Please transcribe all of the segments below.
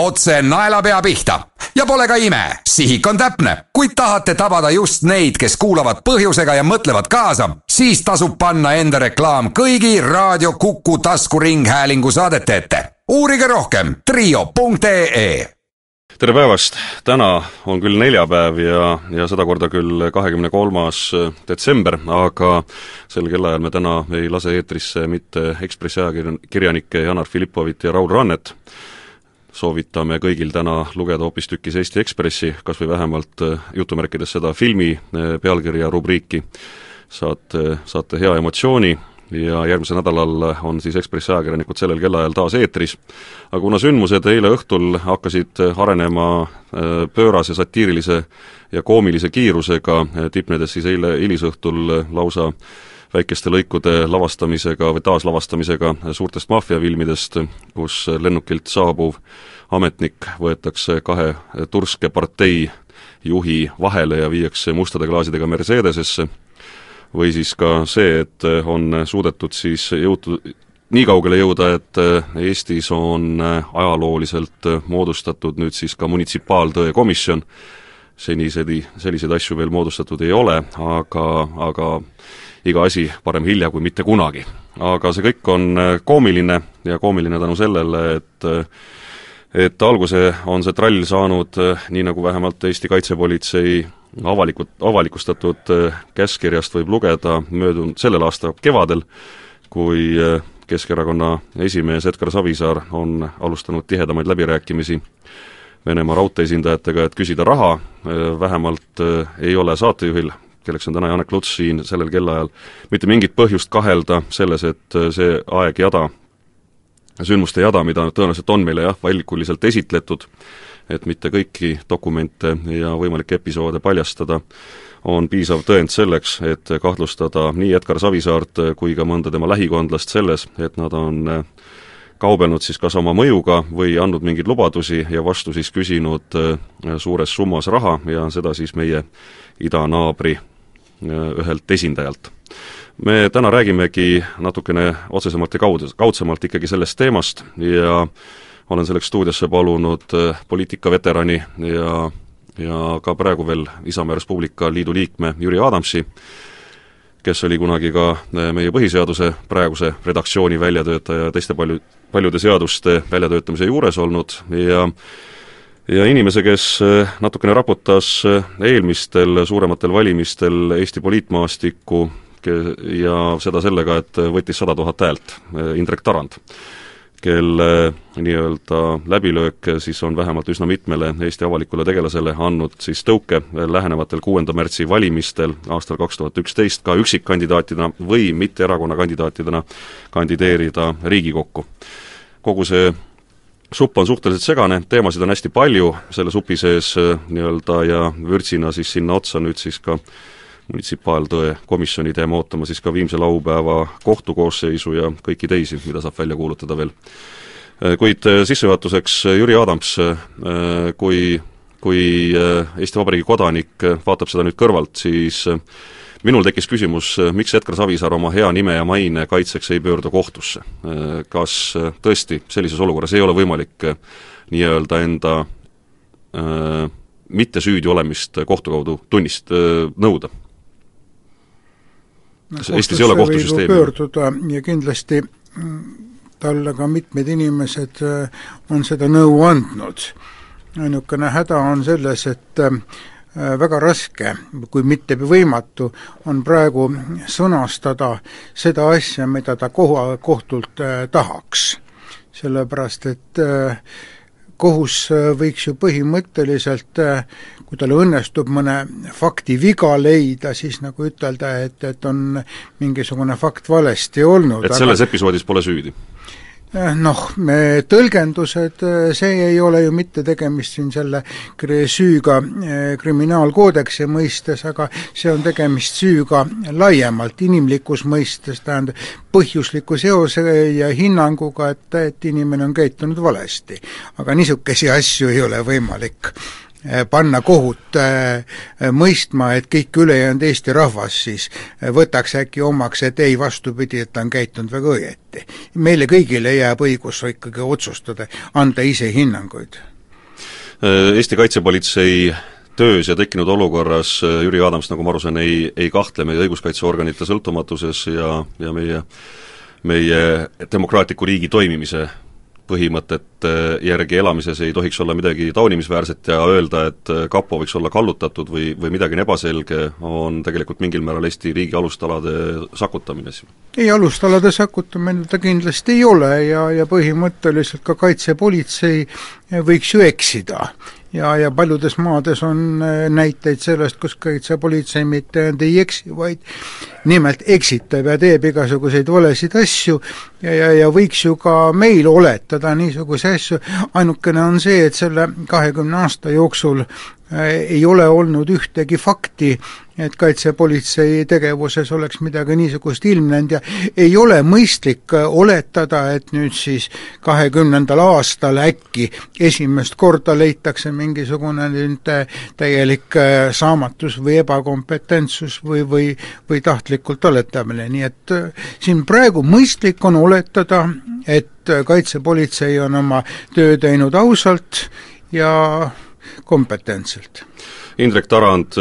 otse naelapea pihta. Ja pole ka ime, sihik on täpne. Kui tahate tabada just neid, kes kuulavad põhjusega ja mõtlevad kaasa, siis tasub panna enda reklaam kõigi Raadio Kuku taskuringhäälingu saadete ette. Uurige rohkem trio.ee. Tere päevast! Täna on küll neljapäev ja seda korda küll 23. detsember, aga sel kellaajal me täna ei lase eetrisse mitte Ekspressi ajakirjanikke Janar Filippovit ja Raul Rannet. Soovitame kõigil täna lugeda hoopis tükis Eesti Ekspressi, kas või vähemalt jutumärkides seda filmi pealkirja rubriiki. Saate hea emotsiooni. Ja järgmisel nädalal on siis Ekspressi ajakirjanikud sellel kellaajal taas eetris. Aga kuna sündmused eile õhtul hakkasid arenema pöörase, satiirilise ja koomilise kiirusega, tipnedes siis eile hilisõhtul lausa väikeste lõikude lavastamisega või taaslavastamisega suurtest maffiafilmidest, kus lennukilt saabuv ametnik võetakse kahe turske partei juhi vahele ja viiakse mustade klaasidega Mercedesesse, või siis ka see, et on suudetud siis nii kaugele jõuda, et Eestis on ajalooliselt moodustatud nüüd siis ka munitsipaaltõe komisjon. Selliseid asju veel moodustatud ei ole, aga iga asi parem hilja kui mitte kunagi. Aga see kõik on koomiline ja koomiline tänu sellele, et alguse on see trall saanud, nii nagu vähemalt Eesti kaitsepolitsei avalikustatud käskirjast võib lugeda sellel aasta kevadel, kui Keskerakonna esimees Edgar Savisaar on alustanud tihedamaid läbirääkimisi Venemaa raudteesindajatega, et küsida raha. Vähemalt ei ole saatejuhil, kelleks on täna Janek Luts siin sellel kellaajal, mitte mingit põhjust kahelda selles, et see aegjada, sündmuste jada, mida tõenäoliselt on meile valikuliselt esitletud, et mitte kõiki dokumente ja võimalikke episoode paljastada, on piisav tõend selleks, et kahtlustada nii Edgar Savisaart kui ka mõnda tema lähikondlast selles, et nad on kaubelnud siis kas oma mõjuga või andnud mingeid lubadusi ja vastu siis küsinud suures summas raha ja seda siis meie idanaabri ühelt esindajalt. Me täna räägimegi natukene otsesemalt ja kaudsemalt ikkagi sellest teemast ja olen selleks stuudiosse palunud poliitikaveterani ja ka praegu veel Isamaa Respublika Liidu liikme Jüri Adamsi, kes oli kunagi ka meie põhiseaduse praeguse redaktsiooni väljatöötaja ja teiste paljude seaduste väljatöötamise juures olnud ja inimese, kes natukene raputas eelmistel suurematel valimistel Eesti poliitmaastikku ja seda sellega, et võttis 100 000 häält, Indrek Tarand, kelle nii-öelda läbilöök siis on vähemalt üsna mitmele Eesti avalikule tegelasele andnud siis tõuke lähenevatel 6. märtsi valimistel aastal 2011 ka üksikkandidaatidena või mitte erakonna kandidaatidena kandideerida Riigikokku. Kogu see supp on suhteliselt segane, teemasid on hästi palju selle supi sees nii-öelda ja vürtsina siis sinna otsa nüüd siis ka munitsipaaltõe komisjoni teema ootama siis ka viimse laupäeva kohtukoosseisu ja kõiki teisi, mida saab välja kuulutada veel. Kuid sissejuhatuseks Jüri Adams, kui Eesti Vabariigi kodanik vaatab seda nüüd kõrvalt, siis minul tekkis küsimus, miks Edgar Savisaar oma hea nime ja maine kaitseks ei pöördu kohtusse. Kas tõesti sellises olukorras ei ole võimalik nii-öelda enda mitte süüdi olemist kohtu kaudu nõuda? Eestis ei ole kohtusüsteemi. Pöörduda ja kindlasti talle ka mitmed inimesed on seda nõu andnud. Ainukene häda on selles, et väga raske, kui mitte võimatu, on praegu sõnastada seda asja, mida ta kohtult tahaks. Sellepärast, et kohus võiks ju põhimõtteliselt, kui talle õnnestub mõne fakti viga leida, siis nagu ütelda, et on mingisugune fakt valesti olnud. Et selles episoodis pole süüdi? Tõlgendused, see ei ole ju mitte tegemist siin selle süüga kriminaalkoodeksi mõistes, aga see on tegemist süüga laiemalt, inimlikus mõistes, tähendab põhjusliku seose ja hinnanguga, et inimene on käitunud valesti. Aga niisuguse asju ei ole võimalik panna kohut mõistma, et kõik ülejäänud Eesti rahvas siis võtaks äkki omaks, et ei vastupidi, et ta on käitunud väga õieti. Meile kõigile jääb õigus ikkagi otsustada, anda ise hinnanguid. Eesti kaitsepolitsei töös ja tekkinud olukorras Jüri Adams, nagu ma aru saan, ei kahtle meie õiguskaitseorganite sõltumatuses ja meie demokraatliku riigi toimimise põhimõtete järgi elamises ei tohiks olla midagi taunimisväärset ja öelda, et kapo võiks olla kallutatud või midagi ebaselge, on tegelikult mingil määral Eesti riigi alustalade sakutamine. Ei, alustalade sakutamine ta kindlasti ei ole ja põhimõtteliselt ka kaitsepolitsei võiks ju eksida. Ja paljudes maades on näiteid sellest, kus kaitsepolitsei mitte ei eksi, vaid nimelt eksitab ja teeb igasuguseid valesid asju ja võiks ju ka meil oletada niisuguse asju. Ainukene on see, et selle 20 aasta jooksul ei ole olnud ühtegi fakti, et kaitsepolitsei tegevuses oleks midagi niisugust ilmnenud ja ei ole mõistlik oletada, et nüüd siis 20. aastal äkki esimest korda leitakse mingisugune täielik saamatus või ebakompetentsus või tahtlikult oletamine. Nii et siin praegu mõistlik on oletada, et kaitsepolitsei on oma töö teinud ausalt ja kompetentselt. Indrek Tarand,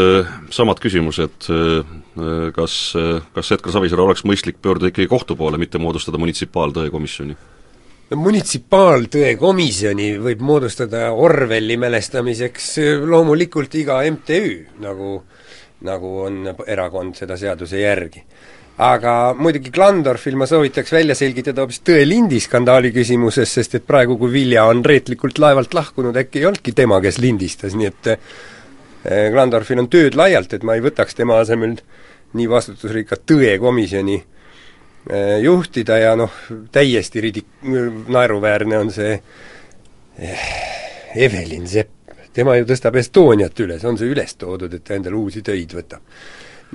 samad küsimused, kas Edgar Savisaar oleks mõistlik pöörduda ikkagi kohtu poole, mitte moodustada munitsipaaltõe komisjoni? Munitsipaaltõe komisjoni võib moodustada Orwelli mälestamiseks loomulikult iga MTÜ, nagu on erakond seda seaduse järgi. Aga muidugi Klandorfil ma soovitaks välja selgitada hoopis tõelindi skandaali küsimuses, sest et praegu, kui Vilja on reetlikult laevalt lahkunud, äkki ei olnudki tema, kes lindistas, nii et Klandorfil on tööd laialt, et ma ei võtaks tema asemel nii vastutusrikka tõekomisjoni juhtida ja täiesti naeruväärne on see Evelin Sepp. Tema ju tõstab Estoniat üles, on see üles toodud, et ta endale uusi töid võtab.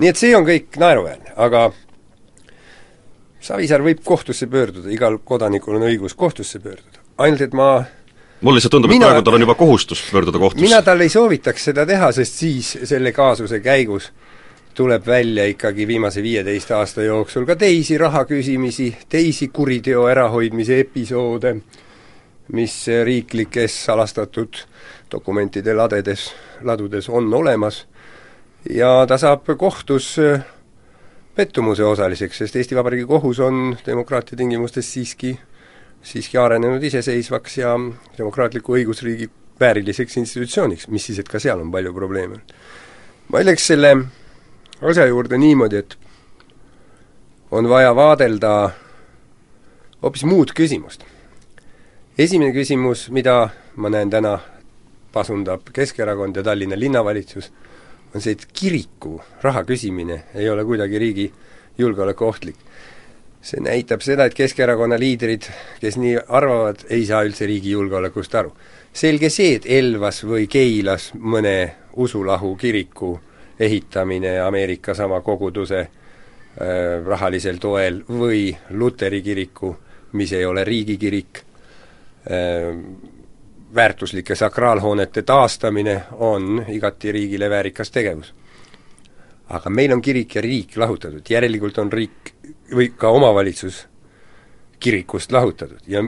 Nii et see on kõik naeruväärne, aga Savisaar võib kohtusse pöörduda, igal kodanikul on õigus kohtusse pöörduda. Ainult, et mul lihtsalt tundub, et praegu tal on juba kohustus pöörduda kohtusse. Mina tal ei soovitaks seda teha, sest siis selle kaasuse käigus tuleb välja ikkagi viimase 15 aasta jooksul ka teisi rahaküsimisi, teisi kuriteo ärahoidmise episoode, mis riiklikes salastatud dokumentide ladudes on olemas ja ta saab kohtus pettumuse osaliseks, sest Eesti Vabariigi kohus on demokraatia tingimustes siiski arenenud iseseisvaks ja demokraatliku õigusriigi vääriliseks institutsiooniks, mis siis, et ka seal on palju probleeme. Ma ütleks selle asja juurde niimoodi, et on vaja vaadelda hoopis muud küsimust. Esimene küsimus, mida ma näen täna pasundab Keskerakond ja Tallinna linnavalitsus, on see, et kiriku raha küsimine ei ole kuidagi riigi julgeoleku ohtlik. See näitab seda, et Keskerakonna liidrid, kes nii arvavad, ei saa üldse riigi julgeolekust aru. Selge see, et Elvas või Keilas mõne usulahu kiriku ehitamine Ameerika sama koguduse rahalisel toel või Luteri kiriku, mis ei ole riigikirik, väärtuslike sakraalhoonete taastamine on igati riigile väärikas tegevus. Aga meil on kirik ja riik lahutatud, järelikult on riik või ka omavalitsus kirikust lahutatud ja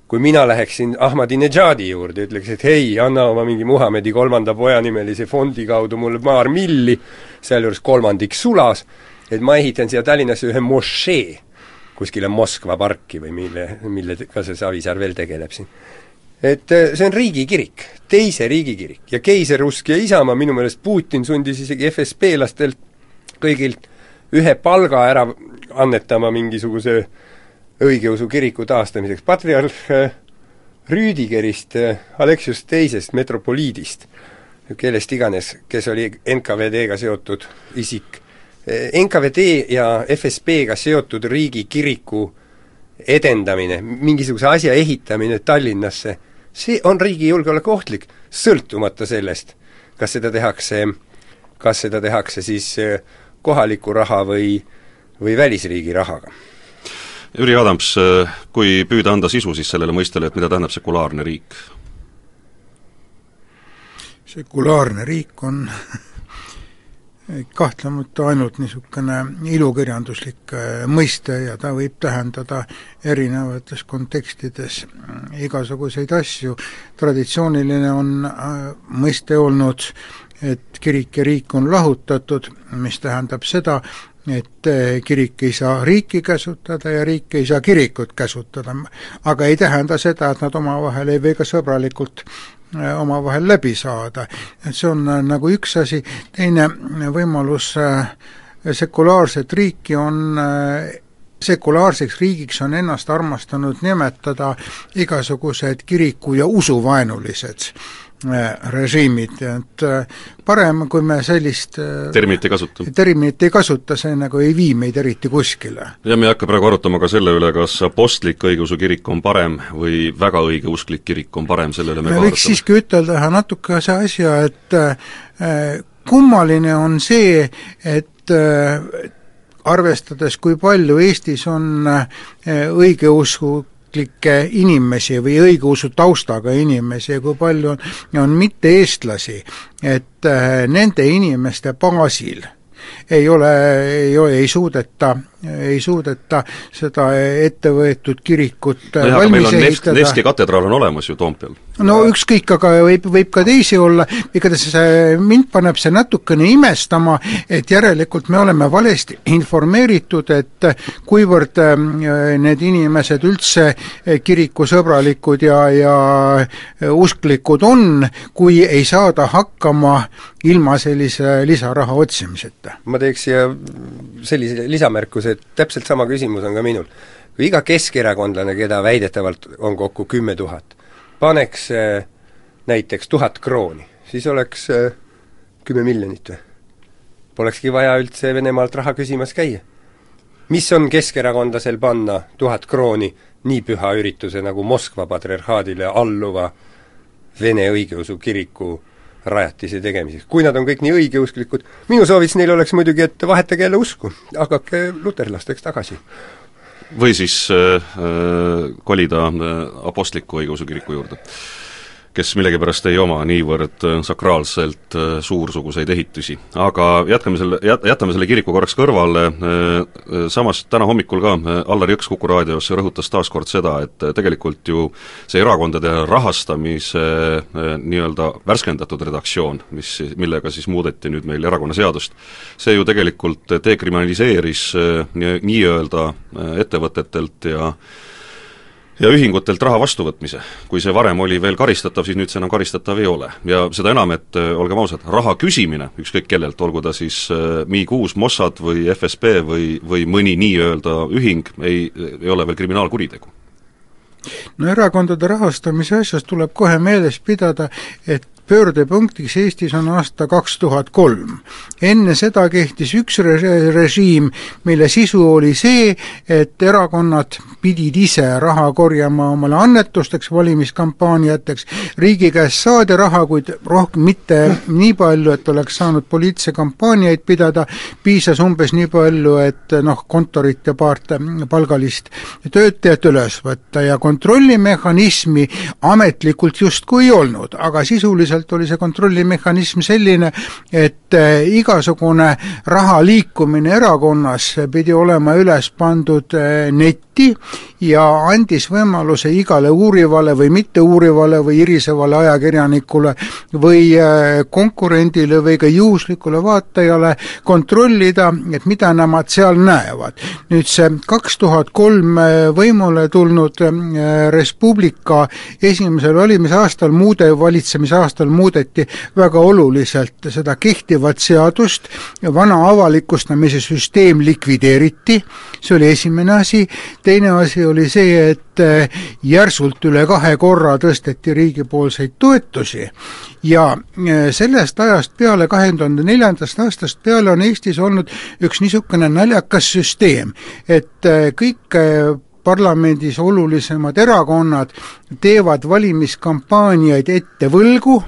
kui mina läheksin Ahmadinejadi juurde, ütleks, et hei, anna oma mingi Muhamedi 3. poja nimelise fondi kaudu mulle paar milli, sealjuures 3 sulas, et ma ehitan siia Tallinnasse ühe mošee kuskile Moskva parki või millega see Savisaar veel tegeleb siin. Et see on riigikirik, teise riigikirik ja keiserusk ja Isamaa, minu meelest Putin sundis isegi FSB-lastelt kõigilt ühe palga ära annetama mingisuguse õigeusu kiriku taastamiseks. Patriarh Rüüdigerist, Aleksius teisest, metropoliidist, kellest iganes, kes oli NKVD-ga seotud isik. NKVD ja FSB-ga seotud riigikiriku edendamine, mingisuguse asja ehitamine Tallinnasse, see on riigi julgeoleku ohtlik, sõltumata sellest, kas seda tehakse siis kohaliku raha või välisriigi rahaga. Jüri Adams, kui püüda anda sisu siis sellele mõistele, et mida tähendab sekulaarne riik? Sekulaarne riik on kahtlemata ainult niisugune ilukirjanduslik mõiste ja ta võib tähendada erinevates kontekstides igasuguseid asju. Traditsiooniline on mõiste olnud, et kirik ja riik on lahutatud, mis tähendab seda, et kirik ei saa riiki käsutada ja riik ei saa kirikut käsutada, aga ei tähenda seda, et nad omavahel ei või ka sõbralikult omavahel läbi saada. Et see on nagu üks asi. Teine võimalus sekulaarset riiki on sekulaarseks riigiks on ennast armastanud nimetada igasugused kiriku- ja usuvaenulised režiimid, et parem, kui me sellist terminit ei kasuta, see nagu ei vii meid eriti kuskile. Ja me ei hakka praegu arutama ka selle üle, kas apostlik õigeusu kirik on parem või väga õigeusklik kirik on parem, selle üle me võiks siiski ütelda natuke see asja, et kummaline on see, et arvestades, kui palju Eestis on õigeusklikke inimesi või õigeusu taustaga inimesi ja kui palju on mitte-eestlasi, et nende inimeste baasil ei suudeta seda ettevõetud kirikut valmis ehitada. Nevski katedraal on olemas ju Toompeal. No ükskõik, aga võib ka teisi olla, igatahes mind paneb see natukene imestama, et järelikult me oleme valesti informeeritud, et kuivõrd need inimesed üldse kirikusõbralikud ja usklikud on, kui ei saada hakkama ilma sellise lisaraha otsimiseta. Ma teeks siia sellise lisamärkuse, et täpselt sama küsimus on ka minul. Kui iga keskerakondlane, keda väidetavalt on kokku 10 000, paneks näiteks 1000 krooni, siis oleks 10 miljonit või? Polekski vaja üldse Venemaalt raha küsimas käia. Mis on keskerakondlasel panna 1000 krooni nii püha ürituse nagu Moskva patriarhaadile alluva Vene õigeusu kiriku rajatise tegemiseks? Kui nad on kõik nii õigeusklikud, minu sooviks neil oleks muidugi, et vahetage jälle usku, hakake luterlasteks tagasi. Või siis kolida apostliku õigeusu kiriku juurde, kes millegipärast ei oma niivõrd sakraalselt suursuguseid ehitusi. Aga jätame selle kiriku korraks kõrvale. Samas täna hommikul ka Allar Jõks Kuku raadios rõhutas taaskord seda, et tegelikult ju see erakondade rahastamise nii-öelda värskendatud redaktsioon, millega siis muudeti nüüd meil erakonnaseadust, see ju tegelikult dekriminaliseeris nii-öelda ettevõtetelt ja ühingutelt raha vastuvõtmise. Kui see varem oli veel karistatav, siis nüüd see enam karistatav ei ole. Ja seda enam, et olgem ausad, raha küsimine, ükskõik kellelt, olgu ta siis MI6, Mossad või FSB või mõni nii-öelda ühing, ei ole veel kriminaalkuritegu. No erakondade rahastamise asjast tuleb kohe meeles pidada, et pöördepunktiks Eestis on aasta 2003. Enne seda kehtis üks režiim, mille sisu oli see, et erakonnad pidid ise raha korjama omale annetusteks, valimiskampaaniateks, riigi käest saadi raha, kuid rohkem mitte nii palju, et oleks saanud poliitilise kampaaniaid pidada, piisas umbes nii palju, et kontorit ja paart palgalist töötajat üles võtta ja kontrollimehhanismi ametlikult justkui ei olnud, aga sisuliselt oli see kontrollimehhanism selline, et igasugune raha liikumine erakonnas pidi olema üles pandud netti ja andis võimaluse igale uurivale või mitte uurivale või irisevale ajakirjanikule või konkurendile või ka juhuslikule vaatajale kontrollida, et mida nemad seal näevad. Nüüd see 2003 võimule tulnud Res Publica esimesel valimisaastal valitsemisaastal muudeti väga oluliselt seda kehtivat seadust, vana avalikustamise süsteem likvideeriti, see oli esimene asi. Teine asi oli see, et järsult üle 2 korra tõsteti riigipoolseid toetusi ja sellest ajast peale, 2004. aastast peale on Eestis olnud üks niisugune naljakas süsteem, et kõik parlamendis olulisemad erakonnad teevad valimiskampaaniaid ette võlgu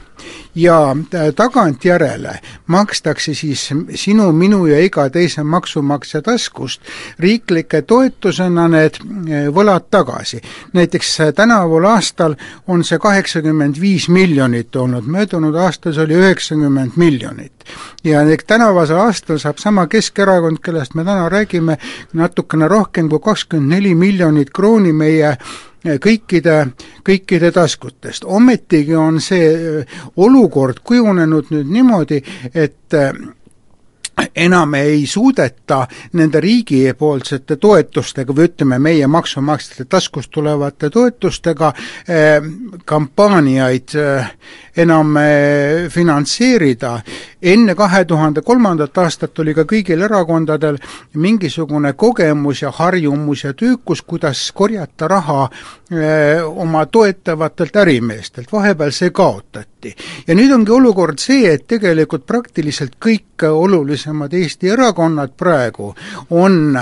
ja tagantjärele makstakse siis sinu, minu ja iga teise maksumaksja taskust riiklike toetusena need võlad tagasi. Näiteks tänaval aastal on see 85 miljonit olnud, möödunud aastas oli 90 miljonit. Ja tänavasel aastal saab sama Keskerakond, kellest me täna räägime, natukene rohkem kui 24 miljonit krooni meie kõikide taskutest. Ometigi on see olukord kujunenud nüüd niimoodi, et enam ei suudeta nende riigipoolsete toetustega või ütleme meie maksumaksjate taskust tulevate toetustega kampaaniaid enam finantseerida. Enne 2003. aastat oli ka kõigil erakondadel mingisugune kogemus ja harjumus ja tüükus, kuidas korjata raha oma toetavatelt ärimeestelt. Vahepeal see kaotati. Ja nüüd ongi olukord see, et tegelikult praktiliselt kõik olulisemad Eesti erakonnad praegu on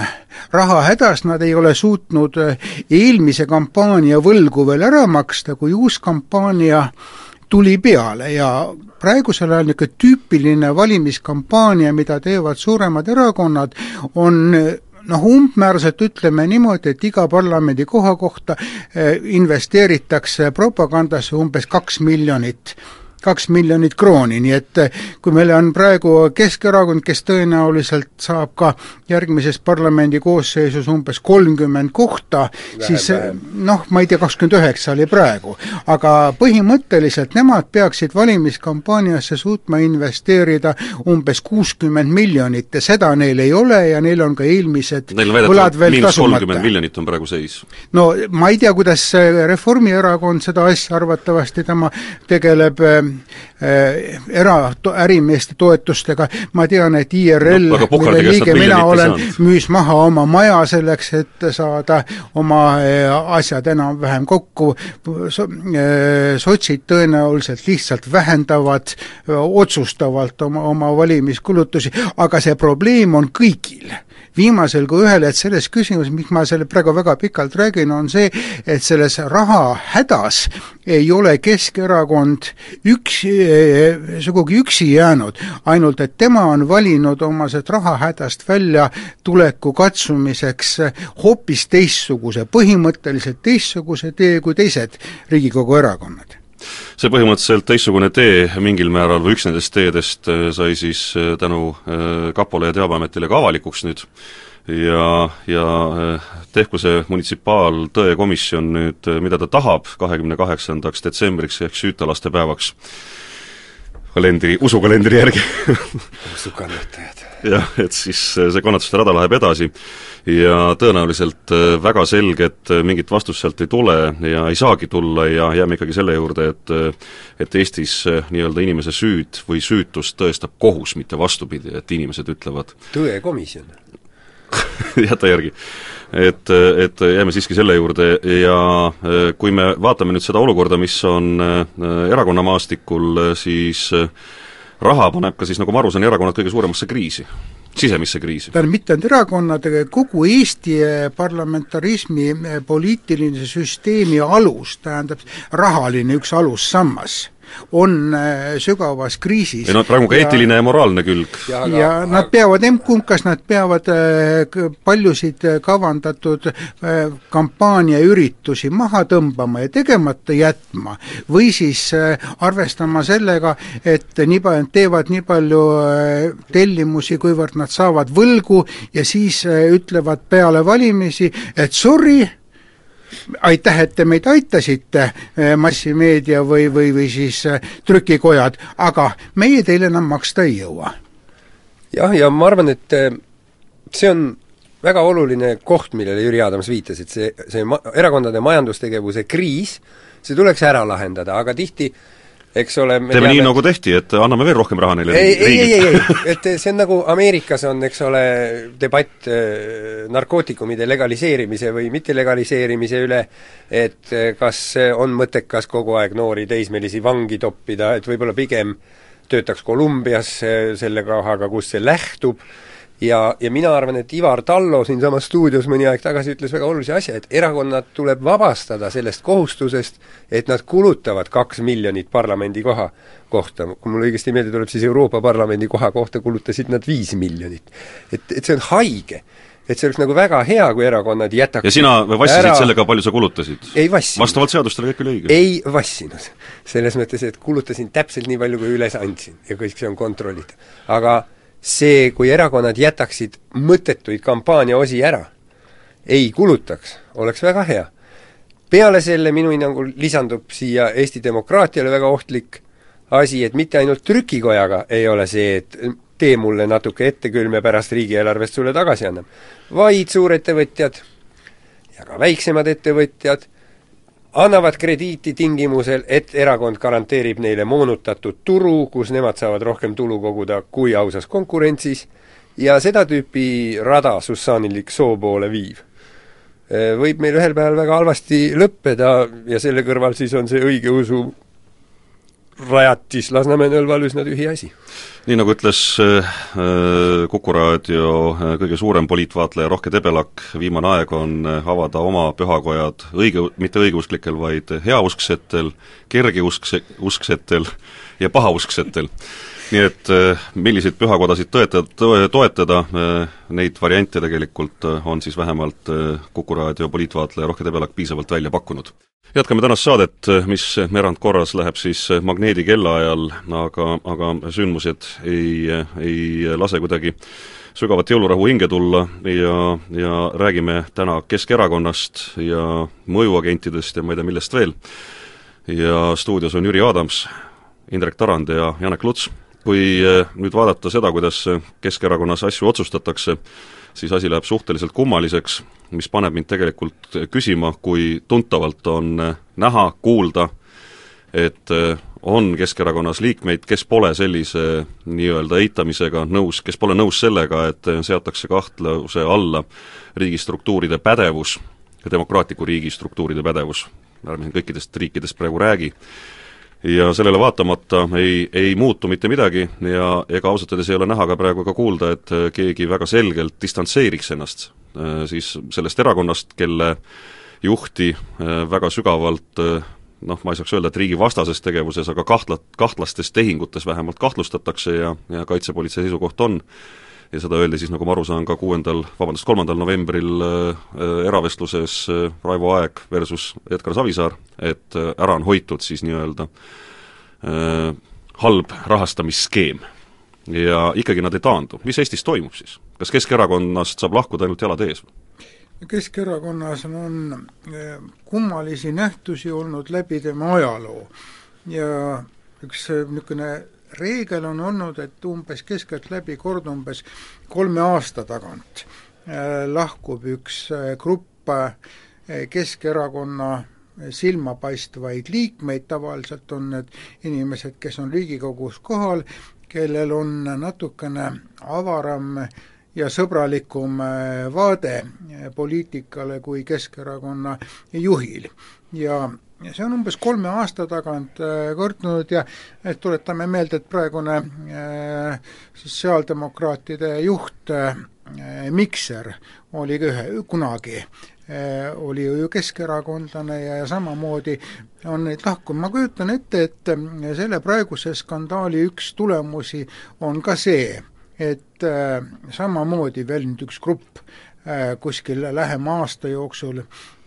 raha hädas, nad ei ole suutnud eelmise kampaania võlgu veel ära maksta, kui uus kampaania tuli peale ja praegusel ajal niisugune tüüpiline valimiskampaania, mida teevad suuremad erakonnad, on umbmääraselt ütleme niimoodi, et iga parlamendi koha kohta investeeritakse propagandasse umbes 2 miljonit krooni, nii et kui meil on praegu Keskerakond, kes tõenäoliselt saab ka järgmises parlamendi koosseisus umbes 30 kohta, siis ma ei tea, 29 oli praegu, aga põhimõtteliselt nemad peaksid valimiskampaaniasse suutma investeerida umbes 60 miljonit ja seda neil ei ole ja neil on ka eelmised võlad veel tasumata. 30 miljonit on praegu seis. No ma ei tea, kuidas Reformierakond seda asja arvatavasti tema tegeleb ärimeeste toetustega. Ma tean, et IRL, mille liige mina olen, müüs maha oma maja selleks, et saada oma asjad enam-vähem kokku. Sotsid tõenäoliselt lihtsalt vähendavad otsustavalt oma valimiskulutusi, aga see probleem on kõigil. Viimasel kui ühel, et selles küsimus, mis ma selle praegu väga pikalt räägin, on see, et selles raha hädas ei ole Keskerakond sugugi üksi jäänud, ainult et tema on valinud oma raha hädast välja tuleku katsumiseks hoopis teistsuguse, põhimõtteliselt teistsuguse tee kui teised Riigikogu erakonnad. See põhimõtteliselt teistsugune tee mingil määral või üks nendest teedest sai siis tänu Kapole ja Teabeametile ka avalikuks nüüd ja tehku see munitsipaaltõekomisjon nüüd, mida ta tahab 28. detsembriks ehk süütalaste päevaks usukalendri järgi. Usukannatajad. Jah, et siis see kannatuste rada läheb edasi ja tõenäoliselt väga selget mingit vastust sealt ei tule ja ei saagi tulla ja jääme ikkagi selle juurde, et Eestis nii-öelda inimese süüd või süütust tõestab kohus, mitte vastupidi, et inimesed ütlevad tõekomisjon. Jäta järgi. Et jääme siiski selle juurde ja kui me vaatame nüüd seda olukorda, mis on erakonnamaastikul, siis raha paneb ka siis, nagu ma aru saan, erakonnad kõige suuremasse kriisi, sisemisse kriisi. Tähendab, mitte ainult erakonnad, kogu Eesti parlamentarismi poliitiline süsteemi alus, tähendab rahaline üks alussammas, on sügavas kriisis. Või praegu ka eetiline ja moraalne külg. Ja nad peavad, kas nad peavad paljusid kavandatud kampaaniaüritusi maha tõmbama ja tegemata jätma või siis arvestama sellega, et teevad nii palju tellimusi, kuivõrd nad saavad võlgu ja siis ütlevad peale valimisi, et sorry, aitäh, et te meid aitasite, massimeedia või siis trükikojad, aga meie teile enam maksta ei jõua. Jah, ja ma arvan, et see on väga oluline koht, millele Jüri Adams viitas, et see erakondade majandustegevuse kriis, see tuleks ära lahendada, aga tihti eks ole, teeme nii, nagu tehti, et anname veel rohkem raha neile ei, et see on nagu Ameerikas on, eks ole, debatt narkootikumide legaliseerimise või mittelegaliseerimise üle, et kas on mõttekas kogu aeg noori teismelisi vangi toppida, et võib-olla pigem töötaks Kolumbias selle rahaga, kus see lähtub, ja mina arvan, et Ivar Tallo siin samas stuudios mõni aeg tagasi ütles väga olulise asja, et erakonnad tuleb vabastada sellest kohustusest, et nad kulutavad 2 miljonit parlamendi koha kohta. Kui mul õigesti meelde tuleb, siis Euroopa Parlamendi koha kohta kulutasid nad 5 miljonit. Et see on haige. Et see oleks nagu väga hea, kui erakonnad jätaks ja sina vassisid sellega, palju sa kulutasid? Ei vassinud. Vastavalt seadustele kõik oli õige? Ei vassinud. Selles mõttes, et kulutasin täpselt nii palju, kui üles andsin ja kõik see on kontrollida. Aga see, kui erakonnad jätaksid mõttetuid kampaania osi ära, ei kulutaks, oleks väga hea. Peale selle minu hinnangul lisandub siia Eesti demokraatiale väga ohtlik asi, et mitte ainult trükikojaga ei ole see, et tee mulle natuke ette külm ja pärast riigieelarvest sulle tagasi annab, vaid suurettevõtjad ja ka väiksemad ettevõtjad annavad krediiti tingimusel, et erakond garanteerib neile moonutatud turu, kus nemad saavad rohkem tulu koguda kui ausas konkurentsis, ja seda tüüpi rada Sussanilik soo poole viiv. Võib meil ühel päeval väga halvasti lõppeda ja selle kõrval siis on see õigeusu rajatis Lasnamäe Nõlval üsna tühi asi. Nii nagu ütles Kuku Raadio kõige suurem poliitvaatleja Rohke Debelak, viimane aeg on avada oma pühakojad mitte õigeusklikel, vaid heausksetel, kergeusksetel ja pahausksetel. Nii et milliseid pühakodasid toetada, neid variante tegelikult on siis vähemalt Kuku Raadio poliitvaatleja Rohke Debelak piisavalt välja pakkunud. Jätkame tänast saadet, mis erandkorras läheb siis magneedi kellaajal, aga sündmused ei lase kuidagi sügavat jõulurahu hinge tulla ja räägime täna Keskerakonnast ja mõjuagentidest ja ma ei tea millest veel. Ja stuudios on Jüri Adams, Indrek Tarand ja Janek Luts. Kui nüüd vaadata seda, kuidas Keskerakonnas asju otsustatakse, siis asi läheb suhteliselt kummaliseks, mis paneb mind tegelikult küsima, kui tuntavalt on näha, kuulda, et on Keskerakonnas liikmeid, kes pole sellise nii-öelda eitamisega nõus, kes pole nõus sellega, et seatakse kahtluse alla riigistruktuuride pädevus, demokraatliku riigistruktuuride pädevus, ärme siin kõikidest riikidest praegu räägi, ja sellele vaatamata ei muutu mitte midagi ja ega ausalt öeldes ei ole näha ka praegu ka kuulda, et keegi väga selgelt distantseeriks ennast siis sellest erakonnast, kelle juhti väga sügavalt ma ei saaks öelda, et riigi vastases tegevuses, aga kahtlastes tehingutes vähemalt kahtlustatakse ja kaitsepolitsei seisukoht on. Ja seda öeldi siis, nagu ma aru saan, ka 3. novembril eravestluses Raivo Aeg versus Edgar Savisaar, et ära on hoitud siis nii-öelda halb rahastamisskeem. Ja ikkagi nad ei taandu. Mis Eestis toimub siis? Kas Keskerakonnast saab lahkuda ainult jalad ees? Keskerakonnas on kummalisi nähtusi olnud läbi tema ajaloo ja üks niisugune reegel on olnud, et umbes keskeltläbi kord umbes 3 aasta tagant lahkub üks grupp Keskerakonna silmapaistvaid liikmeid, tavaliselt on need inimesed, kes on Riigikogus kohal, kellel on natukene avaram ja sõbralikum vaade poliitikale kui Keskerakonna juhil. Ja see on umbes 3 aasta tagant kordunud ja tuletame meelde, et praegune sotsiaaldemokraatide juht Mikser oli kunagi oli ju keskerakondlane ja samamoodi on neid lahkunud. Ma kujutan ette, et selle praeguse skandaali üks tulemusi on ka see, et samamoodi veel nüüd üks grupp kuskil lähema aasta jooksul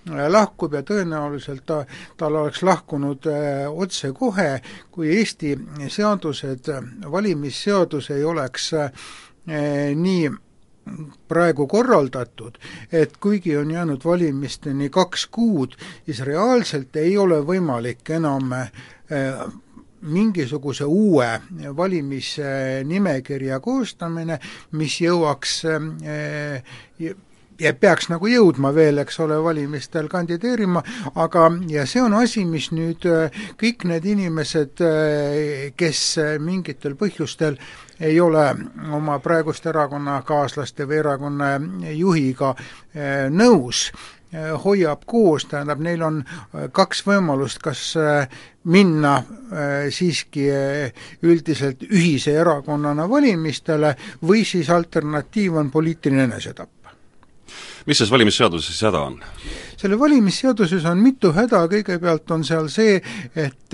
lahkub ja tõenäoliselt tal oleks lahkunud otse kohe, kui Eesti seadused, valimisseadus ei oleks nii praegu korraldatud, et kuigi on jäänud valimisteni 2 kuud, siis reaalselt ei ole võimalik enam mingisuguse uue valimisnimekirja koostamine, mis jõuaks ja peaks nagu jõudma veel, eks ole, valimistel kandideerima, aga ja see on asi, mis nüüd kõik need inimesed, kes mingitel põhjustel ei ole oma praegust erakonnakaaslaste või erakonna juhiga nõus, hoiab koos, tähendab, neil on kaks võimalust, kas minna siiski üldiselt ühise erakonnana valimistele või siis alternatiiv on poliitiline enesetapp. Mis selles valimisseaduses häda on? Selle valimisseaduses on mitu häda, kõigepealt on seal see, et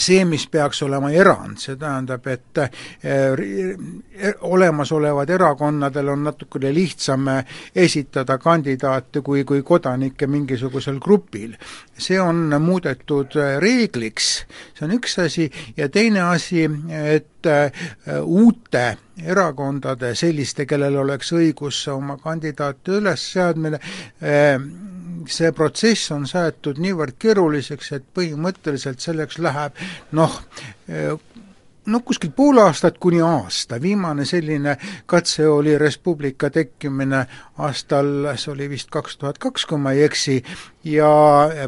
see, mis peaks olema erand, see tähendab, et olemasolevad erakonnadel on natukene lihtsam esitada kandidaate kui kodanikke mingisugusel grupil. See on muudetud reegliks, see on üks asi, ja teine asi, et uute erakondade, selliste, kellel oleks õigus oma kandidaate üles seadmine, see protsess on saetud niivõrd keeruliseks, et põhimõtteliselt selleks läheb kuskil pool aastat kuni aasta. Viimane selline katse oli Res Publica tekkimine aastal, see oli vist 2002, kui ma ei eksi, ja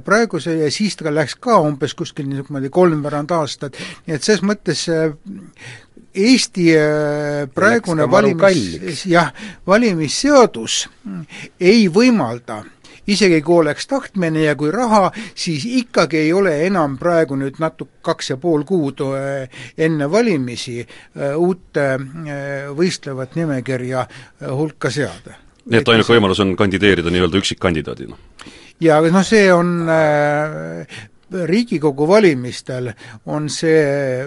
praegu ja siis ta läks ka umbes kuskil niisugune 3 aastat, nii et selles mõttes Eesti praegune valimisseadus ei võimalda, isegi kui oleks tahtmine ja kui raha, siis ikkagi ei ole enam praegu nüüd 2,5 kuud enne valimisi uute võistlevat nimekirja hulka seada. Nii et ainuke võimalus on kandideerida nii-öelda üksikkandidaadina? Ja see on Riigikogu valimistel on see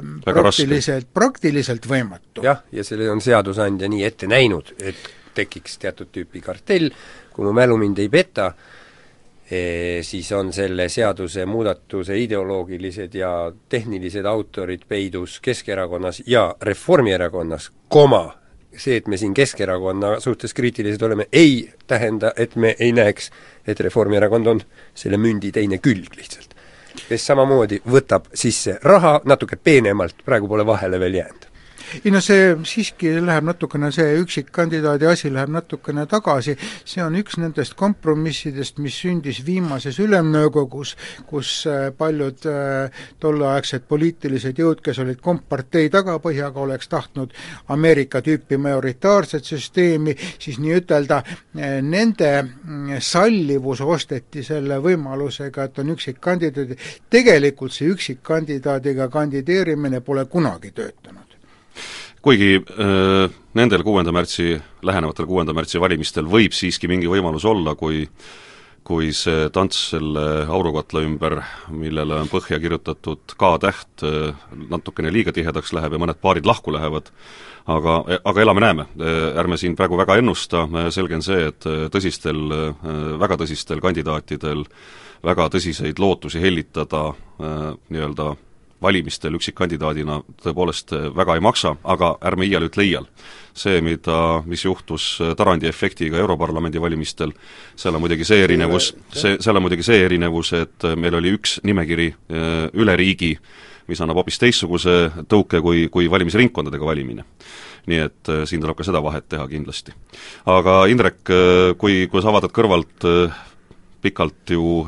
praktiliselt võimatu. Jah, ja selle on seadusandja nii ette näinud, et tekiks teatud tüüpi kartell. Kui mu mälu mind ei peta, siis on selle seaduse muudatuse ideoloogilised ja tehnilised autorid peidus Keskerakonnas ja Reformierakonnas, see, et me siin Keskerakonna suhtes kriitilised oleme, ei tähenda, et me ei näeks, et Reformierakond on selle mündi teine külg lihtsalt, kes samamoodi võtab sisse raha natuke peenemalt, praegu pole vahele veel jäänud. See siiski läheb natukene, see üksikkandidaadi asi läheb natukene tagasi, see on üks nendest kompromissidest, mis sündis viimases ülemnõukogus, kus paljud tolleaegsed poliitilised jõud, kes olid kompartei tagapõhjaga, oleks tahtnud Ameerika tüüpi majoritaarset süsteemi, siis nii ütelda, nende sallivus osteti selle võimalusega, et on üksikkandidaadi. Tegelikult see üksikkandidaadiga kandideerimine pole kunagi töötanud. Kuigi nendel lähenevatel 6. märtsi valimistel võib siiski mingi võimalus olla, kui see tants selle aurukatla ümber, millele on põhja kirjutatud K-täht, natukene liiga tihedaks läheb ja mõned paarid lahku lähevad, aga elame-näeme. Ärme siin praegu väga ennusta, selge on see, et väga tõsistel kandidaatidel väga tõsiseid lootusi hellitada nii-öelda valimistel üksikkandidaadina tõepoolest väga ei maksa, aga ärme iial ütle iial. See, mis juhtus Tarandi efektiga Europarlamendi valimistel, seal on muidugi see erinevus, et meil oli üks nimekiri üle riigi, mis annab hoopis teistsuguse tõuke kui valimisringkondadega valimine. Nii et siin tuleb ka seda vahet teha kindlasti. Aga Indrek, kui sa vaatad kõrvalt pikalt ju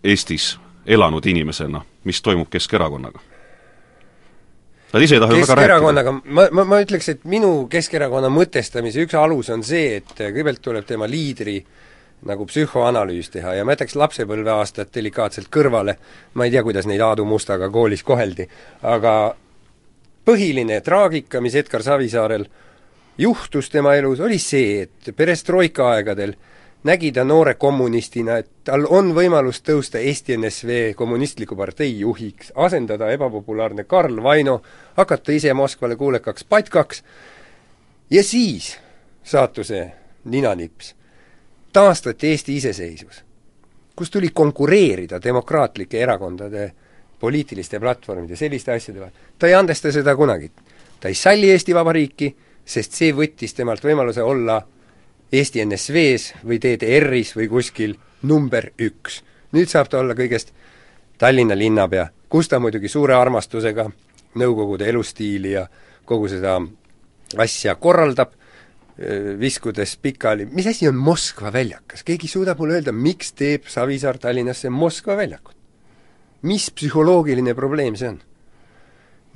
Eestis elanud inimesena, mis toimub Keskerakonnaga? Nad ise ei taha väga rääkida. Ma ütleks, et minu Keskerakonna mõtestamise üks alus on see, et kõigepealt tuleb tema liidri nagu psühhoanalüüs teha ja ma jätaks lapsepõlveaastat delikaatselt kõrvale, ma ei tea, kuidas neid Aadu Mustaga koolis koheldi, aga põhiline traagika, mis Edgar Savisaarel juhtus tema elus, oli see, et perestroika aegadel nägi ta noore kommunistina, et tal on võimalus tõusta Eesti NSV kommunistliku partei juhiks, asendada ebapopulaarne Karl Vaino, hakata ise Moskvale kuulekaks patkaks ja siis saatuse ninanips taastati Eesti iseseisvus, kus tuli konkureerida demokraatlike erakondade poliitiliste platvormide selliste asjade vahel. Ta ei andesta seda kunagi. Ta ei salli Eesti Vabariiki, sest see võttis temalt võimaluse olla Eesti NSV-s või DDR-is või kuskil number 1. Nüüd saab ta olla kõigest Tallinna linnapea, kus ta muidugi suure armastusega nõukogude elustiili ja kogu seda asja korraldab, viskudes pikali. Mis asi on Moskva väljakas? Keegi suudab mulle öelda, miks teeb Savisaar Tallinnasse Moskva väljakut? Mis psühholoogiline probleem see on?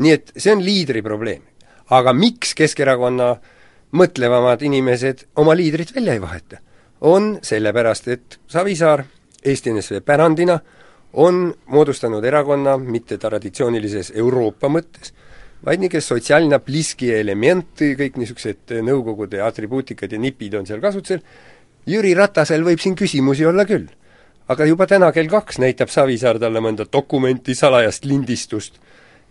Nii et see on liidri probleem. Aga miks Keskerakonna mõtlevamad inimesed oma liidrit välja ei vaheta? on sellepärast, et Savisaar Eesti NSV pärandina on moodustanud erakonna mitte traditsioonilises Euroopa mõttes, vaid niisugune sotsiaalne pliski element, kõik niisugused nõukogude atribuutikad ja nipid on seal kasutusel. Jüri Ratasel võib siin küsimusi olla küll. Aga juba täna kell 2 näitab Savisaar talle mõnda dokumenti, salajast lindistust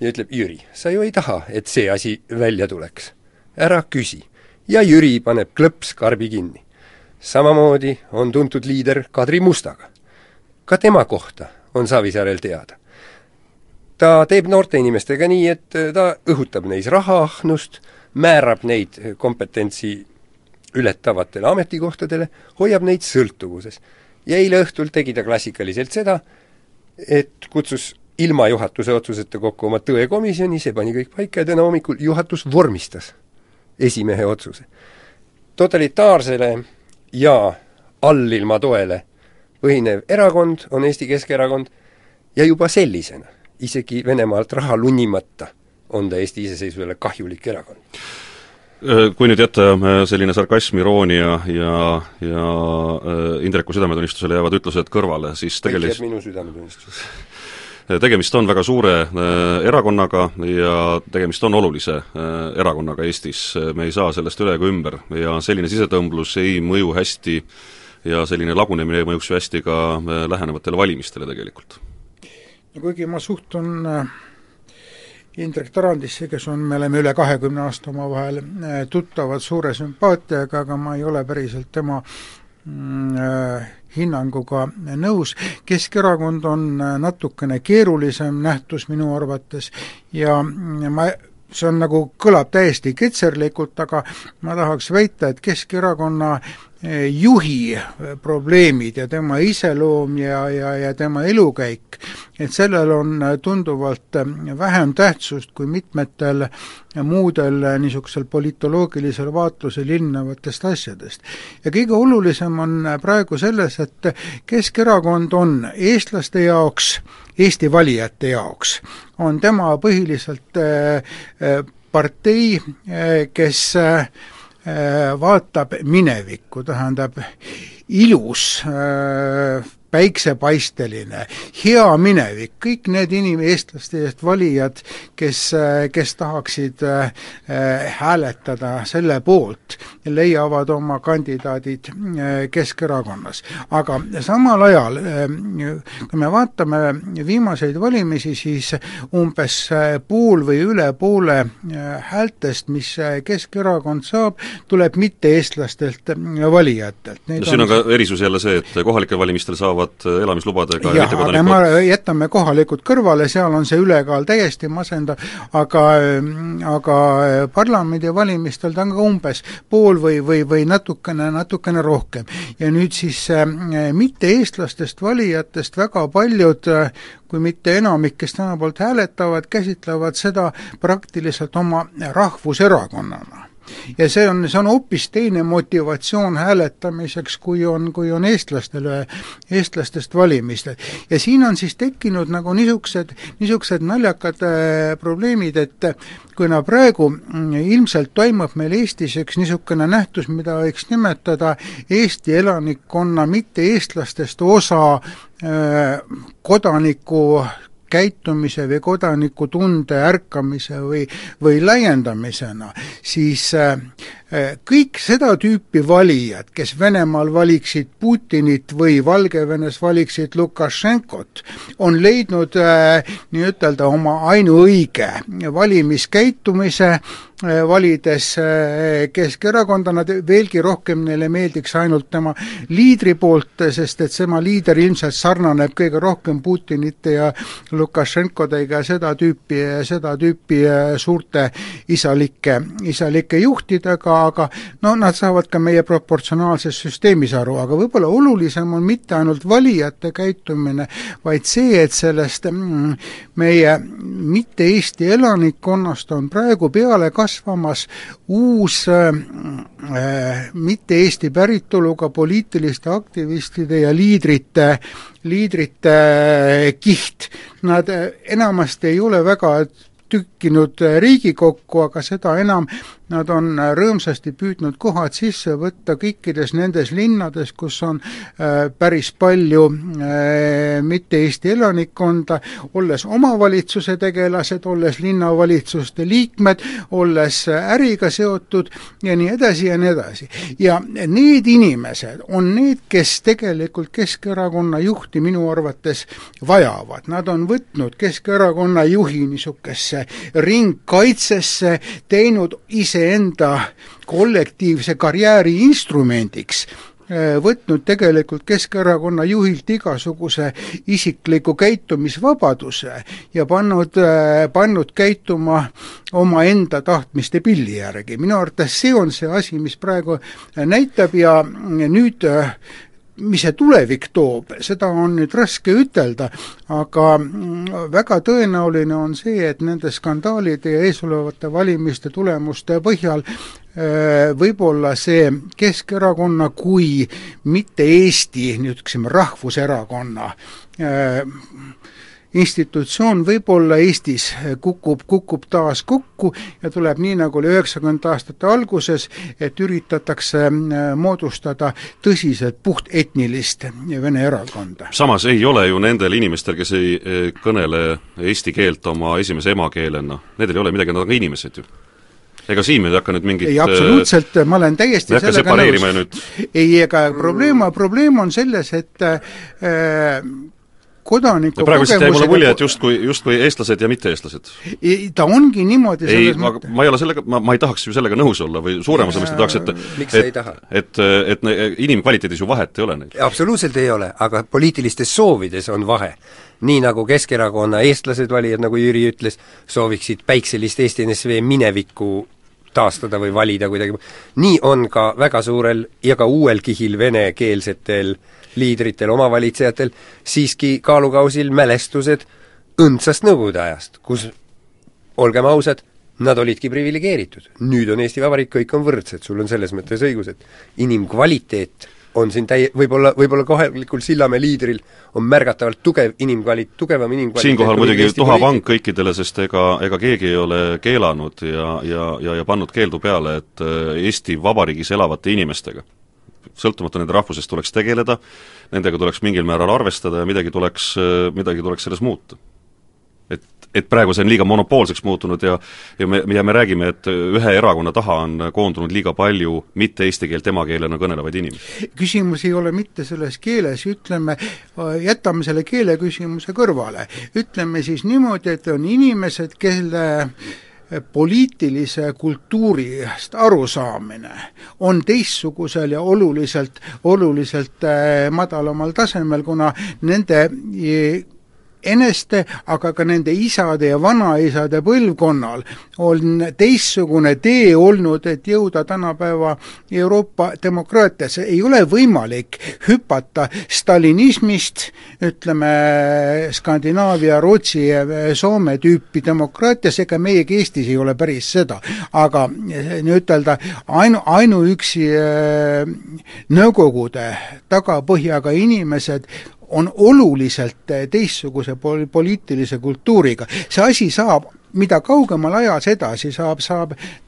ja ütleb, Jüri, sa ju ei taha, et see asi välja tuleks. Ära küsi. Ja Jüri paneb klõps karbi kinni. Samamoodi on tuntud liider Kadri Mustaga. Ka tema kohta on Savisaarel teada. Ta teeb noorte inimestega nii, et ta õhutab neis rahaahnust, määrab neid kompetentsi ületavatele ametikohtadele, hoiab neid sõltuvuses. Ja eile õhtul tegi ta klassikaliselt seda, et kutsus ilma juhatuse otsuseta kokku oma tõekomisjoni, see pani kõik paika ja täna hommikul juhatus vormistas esimehe otsuse. Totalitaarsele ja allilma toele põhinev erakond on Eesti Keskerakond ja juba sellisena, isegi Venemaalt raha lunnimata, on ta Eesti iseseisvusele kahjulik erakond. Kui nüüd jätta selline sarkasm, iroonia ja Indreku südametunnistusele jäävad ütlused kõrvale, siis tegemist on väga suure erakonnaga ja tegemist on olulise erakonnaga Eestis. Me ei saa sellest üle ega ümber ja selline sisetõmblus ei mõju hästi ja selline lagunemine mõjuks ju hästi ka lähenevatele valimistele tegelikult. Kuigi ma suhtun Indrek Tarandisse, kes on, me oleme üle 20 aasta oma vahel tuttavad suure sümpaatiaga, aga ma ei ole päriselt tema hinnanguga nõus. Keskerakond on natukene keerulisem nähtus minu arvates ja see on nagu, kõlab täiesti ketserlikult, aga ma tahaks väita, et Keskerakonna juhi probleemid ja tema iseloom ja tema elukäik, et sellel on tunduvalt vähem tähtsust kui mitmetel muudel niisugusel politoloogilisel vaatlusel ilmnevatest asjadest. Ja kõige olulisem on praegu selles, et Keskerakond on eestlaste jaoks, Eesti valijate jaoks, on tema põhiliselt partei, kes vaatab minevikku, tähendab ilus, päiksepaisteline, hea minevik, kõik need eestlaste eest valijad, kes tahaksid hääletada selle poolt, leiavad oma kandidaadid Keskerakonnas. Aga samal ajal, kui me vaatame viimaseid valimisi, siis umbes pool või üle poole häältest, mis Keskerakond saab, tuleb mitte eestlastelt valijatelt. Siin on ka erisus jälle see, et kohalikel valimistel saavad elamislubadega ja aga me jätame kohalikud kõrvale, seal on see ülekaal täiesti masendav, aga parlamendi valimistel ta on ka umbes pool või natukene rohkem. Ja nüüd siis mitte eestlastest valijatest väga paljud, kui mitte enamik, kes täna poolt hääletavad, käsitlevad seda praktiliselt oma rahvuserakonnana. Ja see on hoopis teine motivatsioon hääletamiseks, kui on eestlastest valimistel. Ja siin on siis tekkinud nagu niisugused naljakad probleemid, et kuna praegu ilmselt toimub meil Eestis üks niisugune nähtus, mida võiks nimetada Eesti elanikkonna mitte eestlastest osa kodaniku käitumise või kodanikutunde ärkamise või laiendamisena, siis kõik seda tüüpi valijad, kes Venemaal valiksid Putinit või Valgevenes valiksid Lukašenkot, on leidnud nii-ütelda oma ainuõige valimiskäitumise, valides Keskerakonda, nad veelgi rohkem neile meeldiks ainult tema liidri poolt, sest et tema liider ilmselt sarnaneb kõige rohkem Putinite ja Lukašenkodega seda tüüpi suurte isalike juhtidega, aga no nad saavad ka meie proportsionaalses süsteemis aru, aga võib-olla olulisem on mitte ainult valijate käitumine, vaid see, et sellest meie mitte Eesti elanikkonnast on praegu peale kasvamas uus mitte Eesti päritoluga poliitiliste aktivistide ja liidrite kiht. Nad enamasti ei ole väga tükkinud Riigikokku, aga seda enam nad on rõõmsasti püüdnud kohad sisse võtta kõikides nendes linnades, kus on päris palju mitte Eesti elanikkonda, olles omavalitsuse tegelased, olles linnavalitsuste liikmed, olles äriga seotud ja nii edasi ja nii edasi. Ja need inimesed on need, kes tegelikult Keskerakonna juhti minu arvates vajavad. Nad on võtnud Keskerakonna juhi niisugesse ringkaitsesse, teinud iseenda kollektiivse karjääri instrumendiks, võtnud tegelikult Keskerakonna juhilt igasuguse isikliku käitumisvabaduse ja pannud käituma omaenda tahtmiste pilli järgi. Minu arvates see on see asi, mis praegu näitab ja nüüd mis see tulevik toob, seda on nüüd raske ütelda, aga väga tõenäoline on see, et nende skandaalide ja eesolevate valimiste tulemuste põhjal võib-olla see Keskerakonna kui mitte Eesti, nüüd ütlesime rahvuserakonna institutsioon võib-olla Eestis kukub taas kokku ja tuleb nii, nagu oli 90 aastate alguses, et üritatakse moodustada tõsiselt puhtetnilist vene erakonda. Samas ei ole ju nendel inimestel, kes ei kõnele eesti keelt oma esimese emakeelena, nendel ei ole midagi, nad on ka inimesed ju. Ega siin me ei hakka nüüd mingit... Ei, absoluutselt, ma olen täiesti sellega nõus. Ei, ega probleem on selles, et kodaniku praegu kogemusega... Praegu mulle mulje, et justkui eestlased ja mitte-eestlased. Ta ongi niimoodi selles mõttes. Ma ei ole sellega, ma ei tahaks ju sellega nõus olla või suuremas omist tahaks, et inimkvaliteedis ju vahet ei ole neil. Absoluutselt ei ole, aga poliitilistes soovides on vahe. Nii nagu Keskerakonna eestlased valijad, nagu Jüri ütles, sooviksid päikselist Eesti NSV minevikku taastada või valida kuidagi. Nii on ka väga suurel ja ka uuel kihil venekeelsetel liidritel, omavalitsejatel siiski kaalukausil mälestused õndsast nõukogude ajast, kus, olgem ausad, nad olidki privilegeeritud. Nüüd on Eesti Vabariik, kõik on võrdsed, sul on selles mõttes õigus, et inimkvaliteet on siin võib-olla kohalikul Sillamäe liidril on märgatavalt tugevam inimkvaliteet. Siinkohal muidugi tuhavang kõikidele, sest ega keegi ei ole keelanud ja pannud keeldu peale, et Eesti Vabariigis elavate inimestega, sõltumata nende rahvusest tuleks tegeleda, nendega tuleks mingil määral arvestada ja midagi tuleks selles muuta. Et praegu see on liiga monopoolseks muutunud ja me räägime, et ühe erakonna taha on koondunud liiga palju mitte eesti keelt emakeelena kõnelevaid inimesi. Küsimus ei ole mitte selles keeles, jätame selle keele küsimuse kõrvale. Ütleme siis niimoodi, et on inimesed, kelle poliitilise kultuurist arusaamine on teistsugusel ja oluliselt madalamal tasemel, kuna nende eneste, aga ka nende isade ja vanaisade põlvkonnal on teistsugune tee olnud, et jõuda tänapäeva Euroopa demokraatiasse. Ei ole võimalik hüpata stalinismist, ütleme Skandinaavia, Rootsi ja Soome tüüpi demokraatias, ega meiegi Eestis ei ole päris seda. Aga ütelda, ainuüksi nõukogude tagapõhjaga inimesed on oluliselt teistsuguse poliitilise kultuuriga. See asi saab, mida kaugemal ajas edasi saab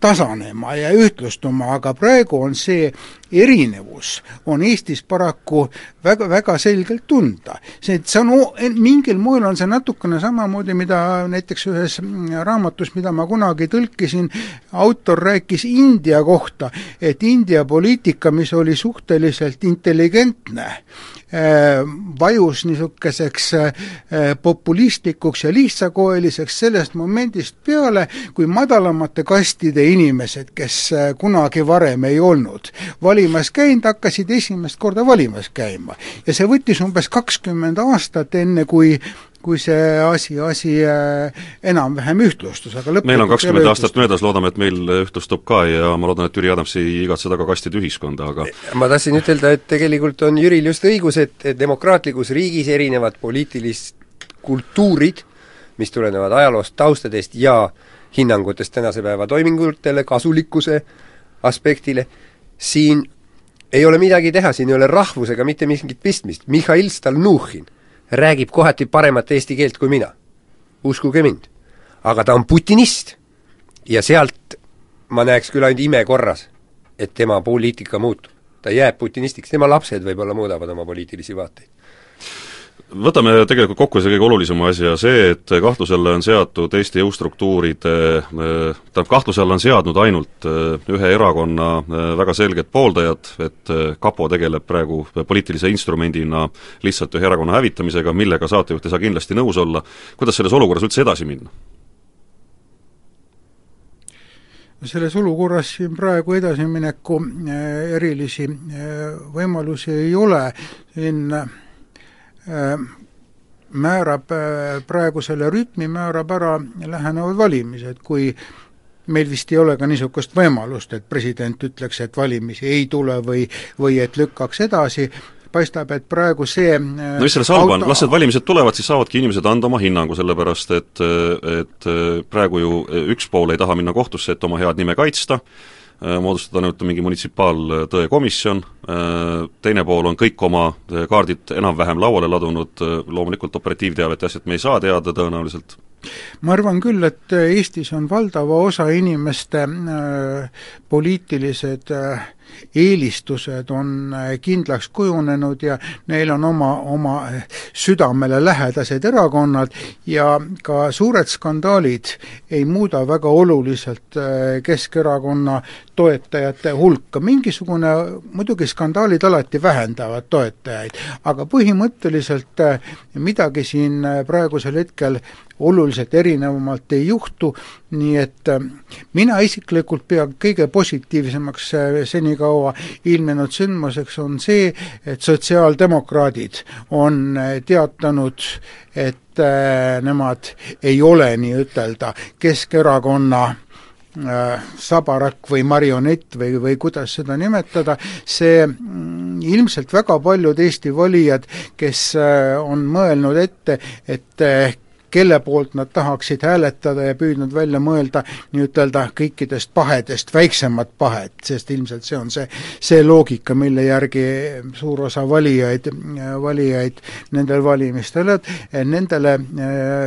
tasanema ja ühtlustuma, aga praegu on see erinevus on Eestis paraku väga, väga selgelt tunda. See on mingil moel on see natukene samamoodi, mida näiteks ühes raamatus, mida ma kunagi tõlkisin, autor rääkis India kohta, et India poliitika, mis oli suhteliselt intelligentne, vajus niisuguseks populistlikuks ja lihtsakoeliseks sellest momendist peale, kui madalamate kastide inimesed, kes kunagi varem ei olnud valimas käinud, hakkasid esimest korda valimas käima. Ja see võttis umbes 20 aastat enne, kui see asi enam-vähem ühtlustus, aga lõpuks meil on 20 aastat möödas, loodame, et meil ühtlustub ka ja ma loodan, et Jüri Adams ei igatse taga kastide ühiskonda, aga ma tahtsin ütelda, et tegelikult on Jüril just õigus, et demokraatlikus riigis erinevad poliitilist kultuurid, mis tulenevad ajaloost, taustadest ja hinnangutest tänase päeva toimingutele, kasulikkuse aspektile, siin ei ole midagi teha, siin ei ole rahvusega mitte mingit pistmist. Mihhail Stalnuhhin räägib kohati paremat eesti keelt kui mina. Uskuge mind. Aga ta on putinist. Ja sealt ma näeks küll ainult ime korras, et tema poliitika muutub. Ta jääb putinistiks, tema lapsed võib-olla muudavad oma poliitilisi vaateid. Võtame tegelikult kokku see kõige olulisema asja, see, et kahtlusele on seatud Eesti jõustruktuuride, kahtlusele on seadnud ainult ühe erakonna väga selged pooldajad, et kapo tegeleb praegu poliitilise instrumendina lihtsalt ühe erakonna hävitamisega, millega saatejuht ei saa kindlasti nõus olla. Kuidas selles olukorras üldse edasi minna? Selles olukorras siin praegu edasimineku erilisi võimalusi ei ole. Siin määrab praegu selle rütmi, määrab ära lähenevad valimised, kui meil vist ei ole ka niisugust võimalust, et president ütleks, et valimisi ei tule või et lükkaks edasi, paistab, et praegu see no mis selles halba on, las need valimised tulevad, siis saavadki inimesed anda oma hinnangu, sellepärast et praegu ju üks pool ei taha minna kohtusse, et oma head nime kaitsta, moodustada nüüd mingi munitsipaaltõe komisjon, teine pool on kõik oma kaardid enam-vähem lauale ladunud, loomulikult operatiivteavet ja asjad me ei saa teada tõenäoliselt. Ma arvan küll, et Eestis on valdava osa inimeste poliitilised eelistused on kindlaks kujunenud ja neil on oma südamele lähedased erakonnad ja ka suured skandaalid ei muuda väga oluliselt Keskerakonna toetajate hulka. Mingisugune, muidugi skandaalid alati vähendavad toetajaid, aga põhimõtteliselt midagi siin praegusel hetkel oluliselt erinevamalt ei juhtu, nii et mina isiklikult pean kõige positiivsemaks senikaua ilmnenud sündmuseks on see, et sotsiaaldemokraadid on teatanud, et nemad ei ole nii ütelda Keskerakonna sabarak või marionett või kuidas seda nimetada, see ilmselt väga paljud Eesti valijad, kes on mõelnud ette, et kelle poolt nad tahaksid hääletada ja püüdnud välja mõelda nii-ütelda kõikidest pahedest väiksemad pahed, sest ilmselt see on see loogika, mille järgi suur osa valijaid nendel valimistel, et nendele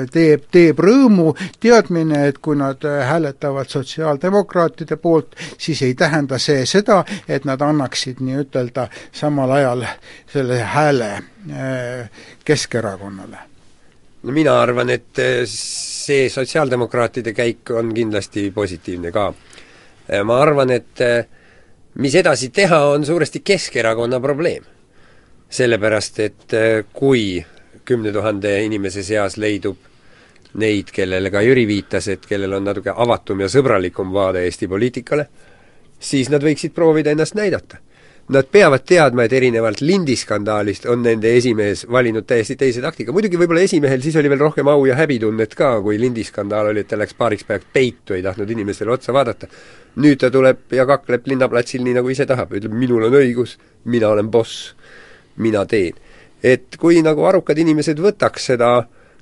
teeb rõõmu teadmine, et kui nad hääletavad sotsiaaldemokraatide poolt, siis ei tähenda see seda, et nad annaksid nii-ütelda samal ajal selle hääle Keskerakonnale. No mina arvan, et see sotsiaaldemokraatide käik on kindlasti positiivne ka. Ma arvan, et mis edasi teha, on suuresti Keskerakonna probleem. Sellepärast, et kui 10 000 inimese seas leidub neid, kellele ka Jüri viitas, et kellel on natuke avatum ja sõbralikum vaade Eesti poliitikale, siis nad võiksid proovida ennast näidata. Nad peavad teadma, et erinevalt lindiskandaalist on nende esimees valinud täiesti teise taktika. Muidugi võib-olla esimehel siis oli veel rohkem au ja häbitunnet ka, kui lindiskandaal oli, et ta läks paariks päevaks peitu, ei tahtnud inimestele otsa vaadata. Nüüd ta tuleb ja kakleb linnaplatsil nii, nagu ise tahab. Ütleb, minul on õigus, mina olen boss, mina teen. Et kui nagu arukad inimesed võtaks seda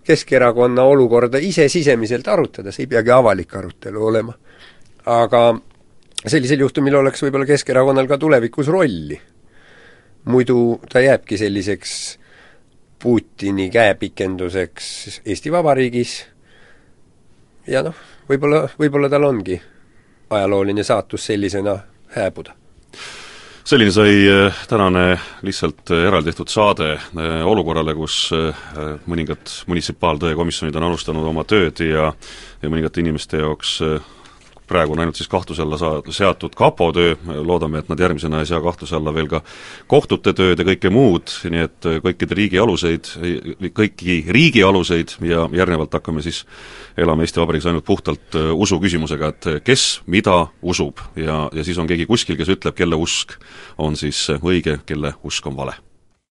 Keskerakonna olukorda ise sisemiselt arutada, see ei peagi avalik arutelu olema. Aga sellisel juhtumil oleks võib-olla Keskerakonnal ka tulevikus rolli. Muidu ta jääbki selliseks Putini käepikenduseks Eesti Vabariigis ja võib-olla tal ongi ajalooline saatus sellisena hääbuda. Selline sai tänane lihtsalt eraldi tehtud saade olukorrale, kus mõningad munitsipaaltõe komisjonid on alustanud oma tööd ja mõningate inimeste jaoks praegu on ainult siis kahtluse alla seatud kapo töö, loodame, et nad järgmisena ei sea kahtluse alla veel ka kohtute tööd ja kõike muud, nii et kõiki riigi aluseid ja järgnevalt hakkame siis elama Eesti Vabariigis ainult puhtalt usu küsimusega, et kes mida usub ja siis on keegi kuskil, kes ütleb, kelle usk on siis õige, kelle usk on vale.